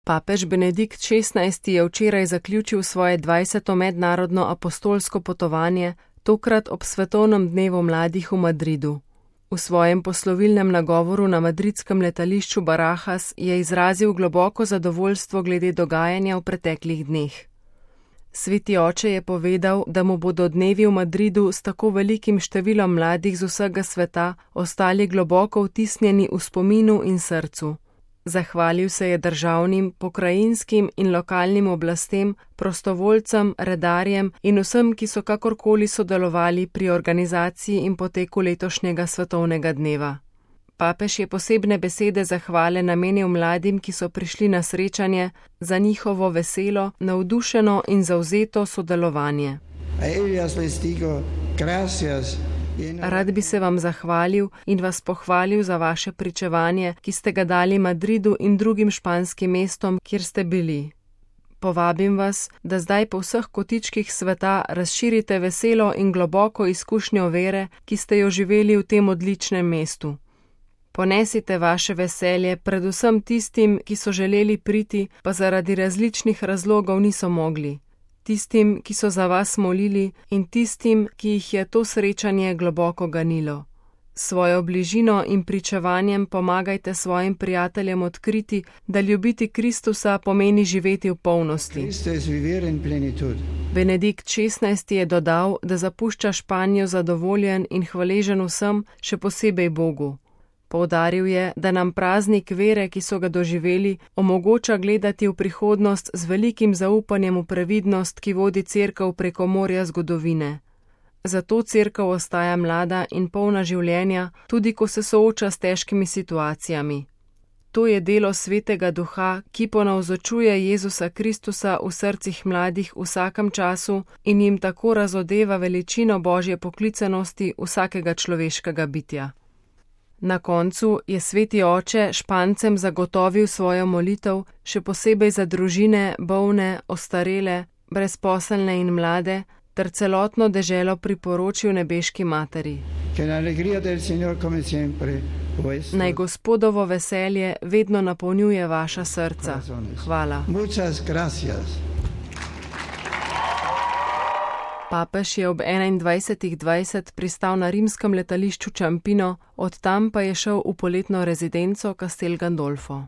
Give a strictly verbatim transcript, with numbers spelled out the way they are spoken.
Papež Benedikt šestnajsti je včeraj zaključil svoje dvajseto mednarodno apostolsko potovanje, tokrat ob svetovnem dnevu mladih v Madridu. V svojem poslovilnem nagovoru na madridskem letališču Barajas je izrazil globoko zadovoljstvo glede dogajanja v preteklih dneh. Sveti oče je povedal, da mu bodo dnevi v Madridu s tako velikim številom mladih z vsega sveta ostali globoko vtisnjeni v spominu in srcu. Zahvalil se je državnim, pokrajinskim in lokalnim oblastem, prostovoljcem, redarjem in vsem, ki so kakorkoli sodelovali pri organizaciji in poteku letošnjega svetovnega dneva. Papež je posebne besede zahvale namenil mladim, ki so prišli na srečanje, za njihovo veselo, navdušeno in zavzeto sodelovanje. Rad bi se vam zahvalil in vas pohvalil za vaše pričevanje, ki ste ga dali Madridu in drugim španskim mestom, kjer ste bili. Povabim vas, da zdaj po vseh kotičkih sveta razširite veselo in globoko izkušnjo vere, ki ste jo živeli v tem odličnem mestu. Ponesite vaše veselje predvsem tistim, ki so želeli priti, pa zaradi različnih razlogov niso mogli. Tistim, ki so za vas molili in tistim, ki jih je to srečanje globoko ganilo. Svojo bližino in pričevanjem pomagajte svojim prijateljem odkriti, da ljubiti Kristusa pomeni živeti v polnosti. Benedikt šestnajsti je dodal, da zapušča Španijo zadovoljen in hvaležen vsem, še posebej Bogu. Poudaril je, da nam praznik vere, ki so ga doživeli, omogoča gledati v prihodnost z velikim zaupanjem v previdnost, ki vodi Cerkev preko morja zgodovine. Zato Cerkev ostaja mlada in polna življenja, tudi ko se sooča s težkimi situacijami. To je delo Svetega Duha, ki ponavzočuje Jezusa Kristusa v srcih mladih v vsakem času in jim tako razodeva veličino Božje poklicanosti vsakega človeškega bitja. Na koncu je Sveti oče Špancem zagotovil svojo molitev, še posebej za družine, bolne, ostarele, brezposelne in mlade, ter celotno deželo priporočil nebeški materi. Naj Gospodovo veselje vedno napolnjuje vaša srca. Hvala. Papež je ob enaindvajsetih dvajset pristal na rimskem letališču Ciampino, od tam pa je šel v poletno rezidenco Castel Gandolfo.